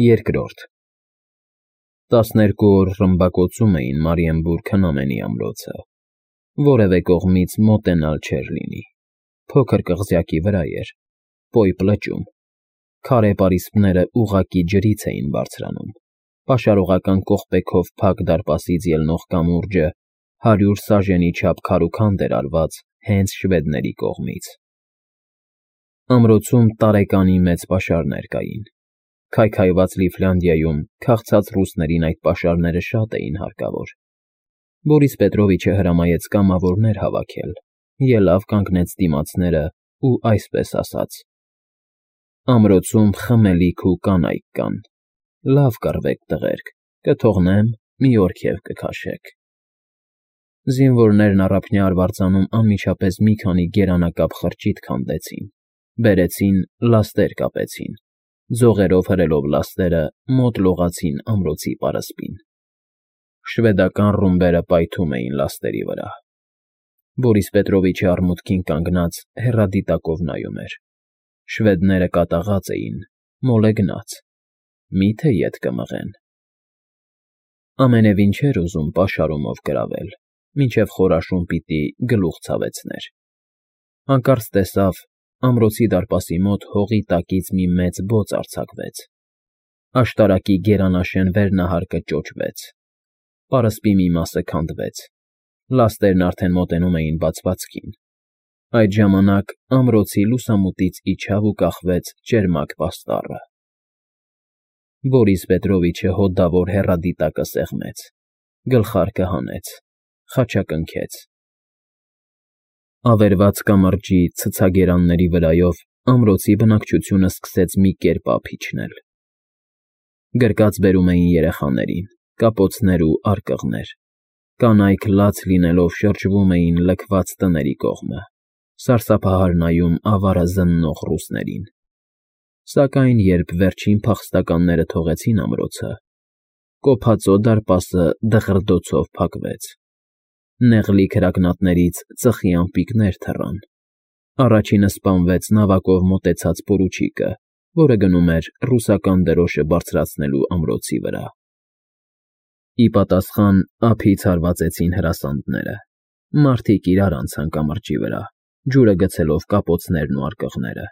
Երկրորդ 12 օր ռմբակոծում էին Մարիենբուրգ քնամենի ամրոցը, որևէ կողմից մոտենալ չէր լինի, փոքր կղզյակի վրա էր, պոյպ լճում, քարե պարիսպները ուղղակի ջրից էին բարձրանում, պաշարողական կողպեքով փակ դարպասից ելնող կամուրջը 100 սաժենի չափ քարուքանդ էր արված հենց շվեդների կողմից։ Ամրոցում տարեկանի մեծ պաշարներ կային։ Քայքայված Լիֆլանդիայում քաղցած ռուսներին այդ պաշարները շատ էին հարկավոր։ Բորիս Պետրովիչը հրամայեց կամավորներ հավաքել, ելավ կանգնեց դիմացները ու այսպես ասաց. ամրոցում խմելիք ու կանայք կան, լավ կռվեք տղերք, կթողնեմ, մի օրքև կքաշեք։ Զինվորներն առափնյա արվարձանում անմիջապես մի քանի գերանակապ խրճիթ քանդեցին, բերեցին, լաստեր կապեցին, ձողերով հրելով լաստերը մոտ լողացին ամրոցի պարսպին։ Շվեդական ռումբերը պայթում էին լաստերի վրա։ Բորիս Պետրովիչը արմուտքին կանգնած հեռադիտակով նայում էր։ Շվեդները կատաղած էին, մոլեգնած, միթե ետ կմղեն։ Ամենևին չէր ուզում պաշարումով գրավել, մինչև խորաշուն պիտի գլուխ ցավեցներ։ Հանկարծ տեսավ, ամրոցի դարպասի մոտ հողի տակից մի մեծ բոց արձակվեց։ Աշտարակի գերանաշեն վերնահարկը ճոճվեց։ Պարսպի մի մասը քանդվեց։ Լաստերն արդեն մոտենում էին բացվածքին։ Այդ ժամանակ ամրոցի լուսամուտից իջավ ու կախվեց ճերմակ պաստառը։ Բորիս Պետրովիչը հոդավոր հեռադիտակը սեղմեց, գլխարկը հանեց, խաչակնքեց։ Ավերված կամրջի ցցագերանների վրայով ամրոցի բնակչությունը սկսեց մի կերպ ափ իջնել։ Գրկած բերում էին երեխաներին, կապոցներ ու արկղներ, կանայք լաց լինելով շրջվում էին լքված տների կողմը, սարսափահար նայում ավարը զննող ռուսներին։ Սակայն երբ վերջին փախստականները թողեցին ամրոցը, կոփածո դարպասը դղրդոցով փակվեց։ Նեղլի քրակնատներից ծխի ամպիկներ թռան։ Առաջինը սպանվեց նավակով մոտեցած պորուչիկը, որը գնում էր ռուսական դրոշը բարձրացնելու ամրոցի վրա։ Ի պատասխան ափից հարվածեցին հրասանդները։ Մարդիկ իրար անցան կամրջի վրա, ջուրը գցելով կապոցներն ու արկղները։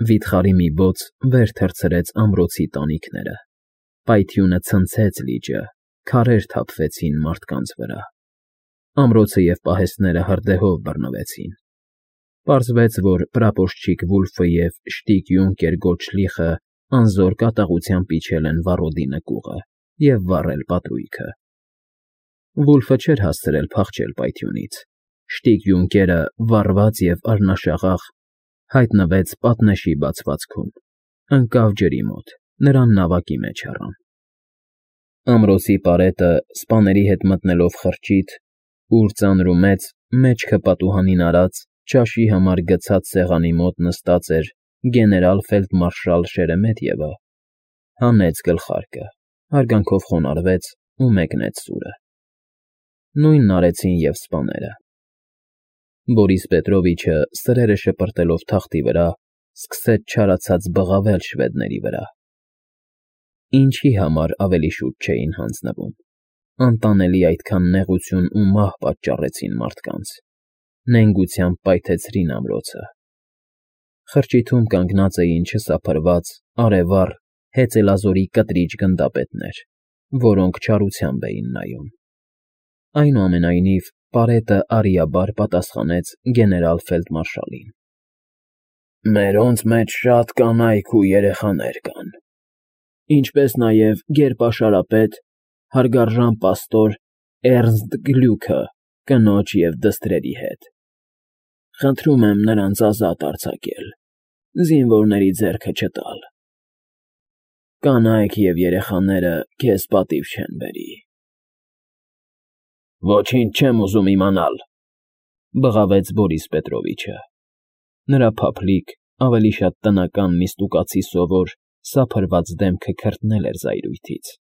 Վիթխարի մի բոց վեր թռցրեց ամրոցի տանիքները։ Պայթյունը ցնցեց լիճը, քարեր թափվեցին մարդկանց վրա։ Ամրոցը և պահեստները հրդեհով բռնվեցին։ Պարզվեց, որ պրապորշչիկ Վուլֆը և շտիկ յունկեր Գոլդշլիխը անզոր կատաղությամբ իջել են վառոդի նկուղը և վառել պատրույգը։ Վուլֆը չէր հասցրել փախչել պայթյունից։ Շտիկ յունկերը, վառված և արնաշաղախ, հայտնվեց պատնեշի բացվածքում, ընկավ ջրի մոտ, նրան նավակի մեջ առան։ Ամրոցի պարետը, սպաների հետ մտնելով խրճիթ, ուր ծանր ու մեծ, մեջքը պատուհանին արած, ճաշի համար գցած սեղանի մոտ նստած էր գեներալ֊ֆելդմարշալ Շերեմեթևը, հանեց գլխարկը, հարգանքով խոնարհվեց ու մեկնեց սուրը։ Նույնն արեցին և սպաները։ Բորիս Պետրովիչը, սրերը շպրտելով թախտի վրա, սկսեց չարացած բղավել շվեդների վրա։ Ինչի համար ավելի շուտ չէին հանձնվում։ Անտանելի այդքան նեղություն ու մահ պատճառեցին մարդկանց։ Նենգությամբ պայթեցրին ամրոցը։ Խրճիթում կանգնած էին չսափրված, արևառ, հեծելազորի կտրիչ գնդապետներ, որոնք չարությամբ էին նայում։ Այնուամենայնիվ, պարետը արիաբար պատասխանեց գեներալ֊ֆելդմարշալին. Մերոնց մեջ շատ կանայք ու երեխաներ կան, ինչպես նաև գերպաշարապետ, հարգարժան պաստոր Էռնստ Գլյուքը կնոջ և դստրերի հետ։ Խնդրում եմ նրանց ազատ արձակել, զինվորների ձեռքը չտալ։ Կանայք և երեխաները քեզ պատիվ չեն բերի։ Ոչինչ չեմ ուզում իմանալ, բղավեց Բորիս Պետրովիչը։ Նրա փափլիկ, ավելի շատ տնական նիստուկացի սովոր, սափրված դեմքը քրտնել էր զայրույթից։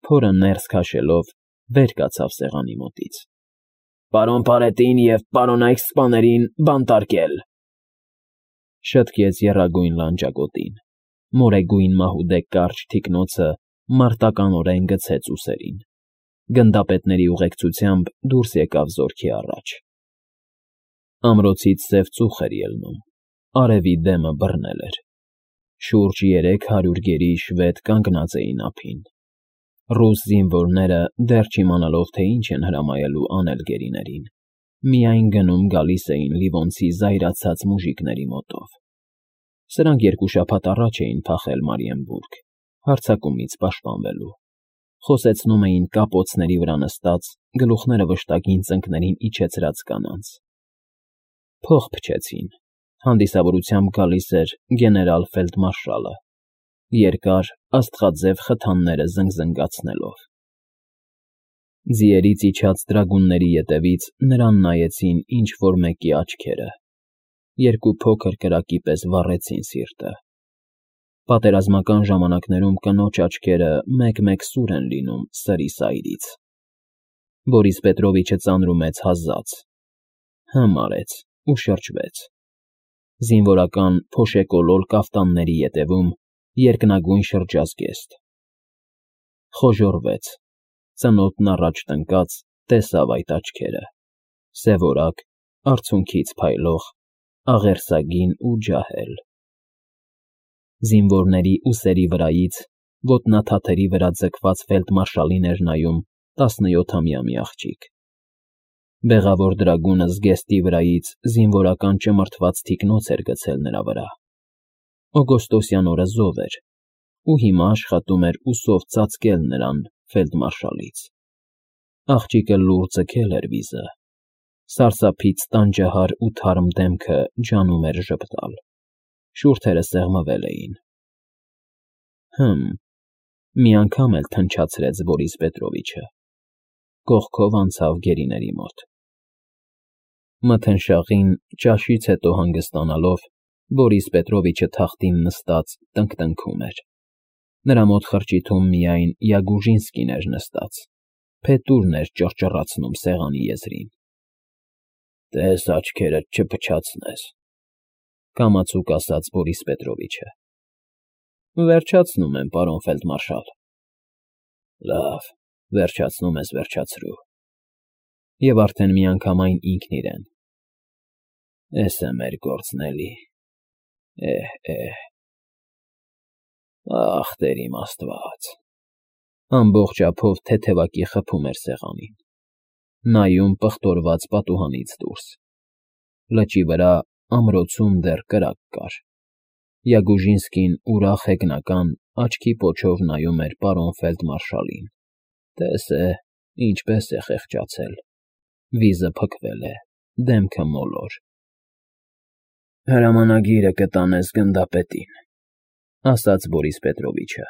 Փորը ներս քաշելով, վեր կացավ սեղանի մոտից։ Պարոն պարետին և պարոնայք սպաներին բանտարկել, շտկեց եռագույն լանջագոտին։ Մորեգույն մահուդե կարճ թիկնոցը մարտականորեն գցեց ուսերին, գնդապետների ուղեկցությամբ դուրս եկավ զորքի առաջ։ Ամրոցից սև ծուխ էր ելնում, արևի դեմը բռնել էր։ Շուրջ 300 գերի շվեդ կանգնած էին ափին։ Ռուս զինվորները, դեռ չիմանալով, թե ինչ են հրամայելու անել գերիներին, միայն գնում֊գալիս էին Լիվոնցի զայրացած մուժիկների մոտով։ Սրանք 2 շաբաթ առաջ էին փախել Մարիենբուրգ, հարձակումից պաշտպանվելու։ Խոսեցնում էին կապոցների վրա նստած, գլուխները վշտակին ծնկներին իջեցրած կանանց։ Փող փչեցին, հանդիսավորությամբ գալիս էր գեներալ ֆելդմարշալը, երկար, աստղաձև խթանները զնգզնգացնելով։ Ձիերից իջած դրագունների ետևից նրան նայեցին ինչ-որ մեկի աչքերը, 2 փոքր կրակի պես վառեցին սիրտը։ Պատերազմական ժամանակներում կնոջ աչքերը մեկ-մեկ սուր են լինում սրի սայրից։ Բորիս Պետրովիչը ծանրումեց հազաց, արեց ու շրջվեց։ Զինվորական փոշեկոլոր կաֆտանների ետևում երկնագույն շրջազգեստ։ Խոժոռվեց, ծնոտն առաջ տնկած, տեսավ այդ աչքերը, սևորակ, արցունքից փայլող, աղերսագին ու ջահել։ Զինվորների ուսերի վրայից, ոտնաթաթերի վրա ձգված ֆելդմարշալին էր նայում 17-ամյա մի աղջիկ։ Բեղավոր դրագունը զգեստի վրայից զինվորական ճմրթված թիկնոց էր գցել նրա վրա։ Օգոստոսյան օրը զով էր, ու հիմա աշխատում էր ուսով ծածկել նրան ֆելդմարշալից։ Աղջիկը լուռ ձգել էր վիզը, սարսափից տանջահար ու թարմ դեմքը ջանում էր ժպտալ, շուրթերը սեղմվել էին։ Մի անգամ էլ թնչացրեց Բորիս Պետրովիչը, կողքով անցավ գերիների մոտ։ Մթնշաղին ճաշից հետո հանգստանալով, Բորիս Պետրովիչը թախտին նստած տնկտնքում էր։ Նրա մոտ խրճիթում միայն Յագուժինսկին էր նստած, փետուրն էր ճռճռացնում սեղանի եզրին։ Տես աչքերդ չփչացնես, կամացուկ ասաց Բորիս Պետրովիչը։ Վերջացնում եմ, պարոն ֆելդմարշալ։ Լավ, վերջացնում ես, վերջացրու։ Եվ արդեն միանգամայն ինքն իրեն։ Էս է մեր գործն էլի։ Ախ, Տեր իմ Աստված։ Ամբողջ ափով թեթևակի խփում էր սեղանին, նայում պղտորված պատուհանից դուրս։ Լճի վրա ամրոցում դեռ կրակ կար։ Յագուժինսկին ուրախ հեգնական աչքի պոչով նայում էր պարոն ֆելդմարշալին։ Տես է, ինչպես է խեղճացել։ Վիզը փքվել է, դեմքը մոլոր։ Հրամանագիրը կտանես գնդապետին, ասաց Բորիս Պետրովիչը։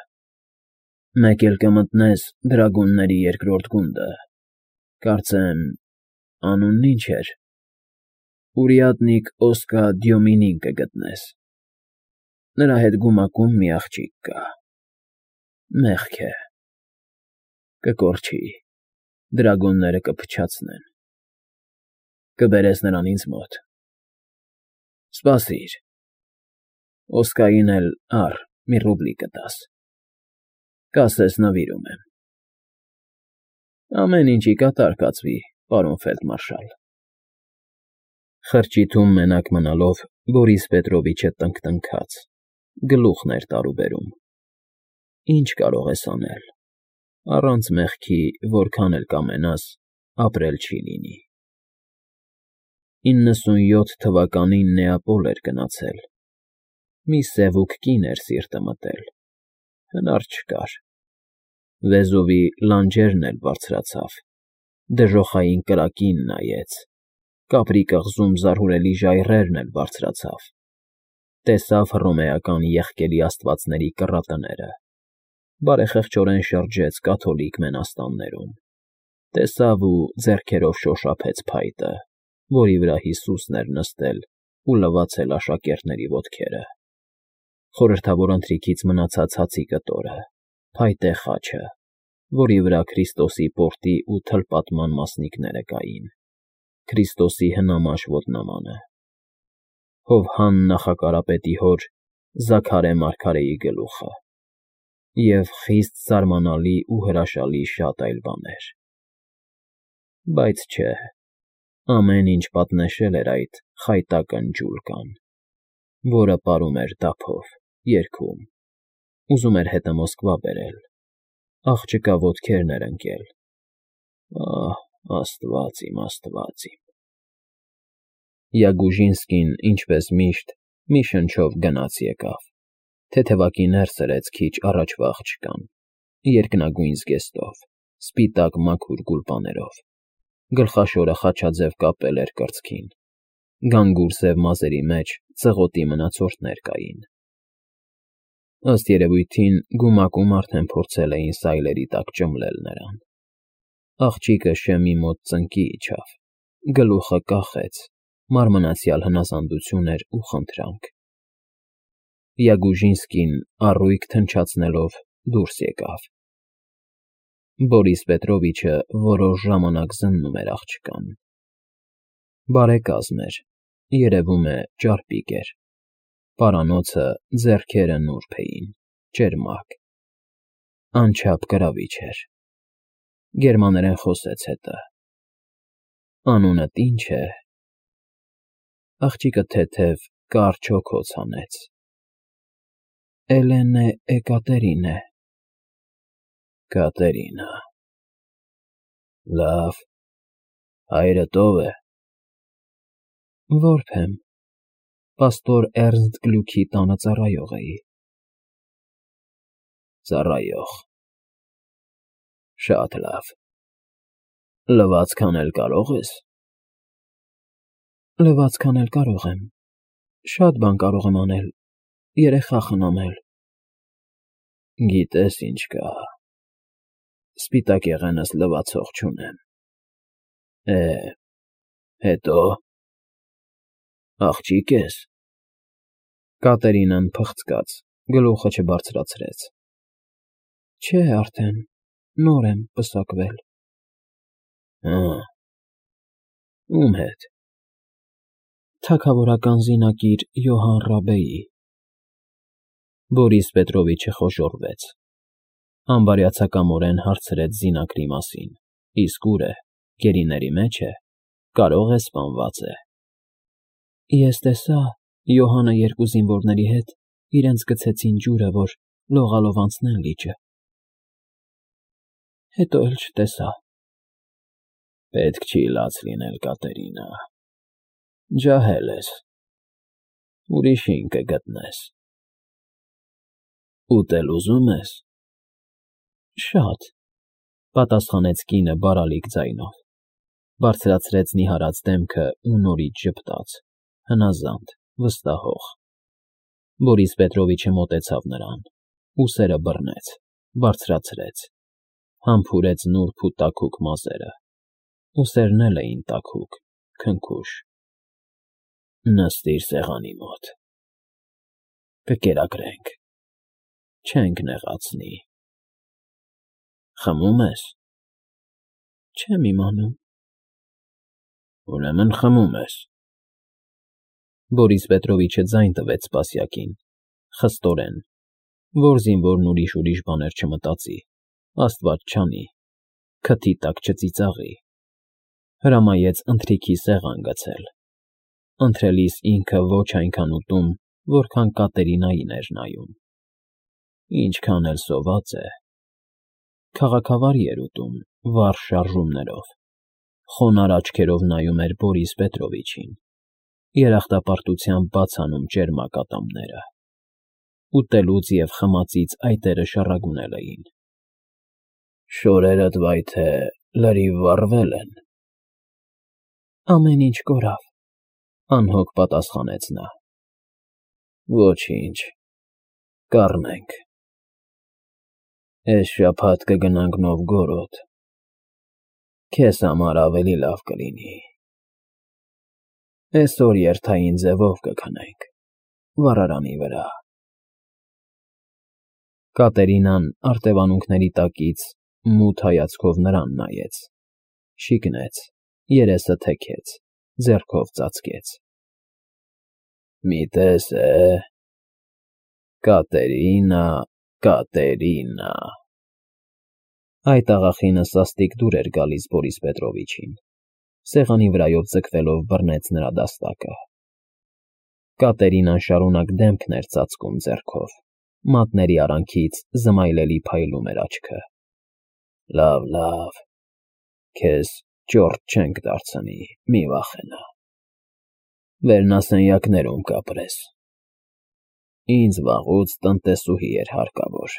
Մեկ էլ կմտնես դրագունների 2-րդ գունդը։ Կարծեմ, անունն ինչ էր։ Ուրիատնիկ Օսկա Դյոմինին կգտնես։ Նրա հետ գումակում մի աղջիկ կա։ Մեղք է։ Կկորչի, դրագունները կփչացնեն։ Կբերես նրան ինձ մոտ։ Սպասիր։ Օսկային էլ մի ռուբլի կտաս։ Կասես նվիրում եմ։ Ամեն ինչի կատար կացվի, պարոն ֆելդմարշալ։ Խրճիթում մենակ մնալով Բորիս Պետրովիչը տնկտնքաց, գլուխն էր տարուբերում։ Ինչ կարող ես անել։ Առանց մեղքի, որքան էլ կամենաս, ապրել չի լինի։ 97 թվականին Նեապոլ էր գնացել։ Մի սևուկ կին էր սիրտը մտել։ Հնար չկար։ Վեզովի լանջերն էլ բարձրացավ, դժոխային կրակին նայեց, կապրի կղզում զարհուրելի ժայռերն էլ բարձրացավ, տեսավ հռոմեական եղկելի աստվածների կռատները, բարեխեղճորեն շրջեց կաթոլիկ մենաստաններում, տեսավ ու ձեռքերով շոշափեց փայտը, որի վրա Հիսուսն էր նստել ու լվացել աշակերտների ոտքերը, խորհրդավոր ընթրիքից մնացած հացի կտորը, փայտե խաչը, որի վրա Քրիստոսի պորտի ու թլպատման մասնիկները կային, Քրիստոսի հնամաշ ոտնամանը, Հովհան նախակարապետի հոր Զաքարե մարգարեի գլուխը և խիստ զարմանալի ու հրաշալի շատ այլ բաներ։ Բայց չէ, ամեն ինչ պատնեշել էր այդ խայտակն ջուլկան, որը պարում էր դափով, երգում, ուզում էր հետը Մոսկվա բերել, աղջկա ոտքերն էր ընկել, ահ, Աստված իմ, Աստված իմ… Յագուժինսկին, ինչպես միշտ, մի շնչով գնաց եկավ, թեթևակի ներս սրեց քիչ առաջվա աղջկան, երկնագույն զգեստով, սպիտակ մաքուր գուլպաներով, գլխաշորը խաչաձև կապել էր կրծքին, գանգուր սև մազերի մեջ ծղոտի մնացորդներ կային։ Ըստ երևույթին գումակում արդեն փորձել էին սայլերի տակ ճմլել նրան։ Աղջիկը շեմի մոտ ծնկի իջավ, գլուխը կախեց, մարմնացյալ հնազանդություն էր ու խնդրանք։ Յագուժինսկին առույգ թնչացնելով դուրս եկավ։ Բորիս Պետրովիչը որոշ ժամանակ զննում էր աղջկան։ Բարեկազմ էր, երևում է ճարպիկ էր, պարանոցը ձեռքերը նուրբ էին, ճերմակ, անչափ կրավիչ էր։ Գերմաներեն խոսեց հետը։ Անունդ ի՞նչ է։ Աղջիկը թեթև կարճ հոգոց հանեց։ Էլենե Էկատերինե։ Կատերինա… Լավ, հայրդ ով է։ Որբ եմ, պաստոր Էրնստ Գլյուքի տանը ծառայող էի։ Ծառայող… Շատ լավ։ Լվացք անել կարող ես։ Լվացք անել կարող եմ, շատ բան կարող եմ անել, երեխա խնամել։ Գիտես ինչ կա, սպիտակեղենս լվացող չունեմ։ Հետո… Աղջիկ ես։ Կատերինան փխցկաց, գլուխը չբարձրացրեց։ Չէ, արդեն, նոր եմ պսակվել։ Ում հետ։ Թագավորական զինակիր Յոհան Ռաբեի։ Բորիս Պետրովիչը խոժոռվեց, անբարյացակամորեն հարցրեց զինակրի մասին, իսկ ուր է, գերիների մեջ է, կարող է սպանված է։ Ես տեսա, Յոհանը երկու զինվորների հետ իրենց գցեցին ջուրը, որ լողալով անցնեն լիճը։ Հետո էլ չտեսա։ Պետք չի լաց լինել, Կատերինա, ջահել ես, ուրիշին կգտնես։ Ուտել ուզում ես։ Շատ, պատասխանեց կինը բարալիկ ձայնով, բարձրացրեց նիհարած դեմքը ու նորից ժպտաց, հնազանդ, վստահող։ Բորիս Պետրովիչը մոտեցավ նրան, ուսերը բռնեց, բարձրացրեց, համբուրեց նուրբ ու տաքուկ մազերը, ուսերն էլ էին տաքուկ, քնքուշ։ Նստիր սեղանի մոտ։ Կկերակրենք, չենք նեղացնի։ Խմում ես։ Չեմ իմանում։ Ուրեմն խմում ես։ Բորիս Պետրովիչը ձայն տվեց սպասյակին, խստորեն, որ զինվորն ուրիշ բաներ չմտածի, Աստված չանի, քթի տակ չծիծաղի։ Հրամայեց ընթրիքի սեղան գցել։ Ընթրելիս ինքը ոչ այնքան ուտում, որքան Կատերինային էր նայում։ Ինչքան էլ սոված է։ Քաղաքավարի էր ուտում, վառ շարժումներով, խոնարհ աչքերով նայում էր Բորիս Պետրովիչին, երախտապարտությամբ բաց անում ճերմակ ատամները։ Ուտելուց և խմածից այտերը շառագունել էին։ Շորերդ վայ թե լրիվ վառվել են։ Ամեն ինչ կորավ, անհոգ պատասխանեց նա։ Ոչինչ, կառնենք։ Էս շաբաթ կգնանք Նովգորոդ։ Քեզ համար ավելի լավ կլինի։ Էսօր երթային ձևով կքնենք, վառարանի վրա։ Կատերինան արտևանունքների տակից մութ հայացքով նրան նայեց, շիկնեց, երեսը թեքեց, ձեռքով ծածկեց։ Մի տես է։ Կատերինա, Կատերինա… Այդ աղախինը սաստիկ դուր էր գալիս Բորիս Պետրովիչին, սեղանի վրայով ձգվելով բռնեց նրա դաստակը։ Կատերինան շարունակ դեմքն էր ծածկում ձեռքով, մատների արանքից զմայլելի փայլում էր աչքը։ Լավ, քեզ ճորտ չենք դարձնի, մի վախենա, վերնասենյակներում կապրես։ Ինձ վաղուց տնտեսուհի էր հարկավոր։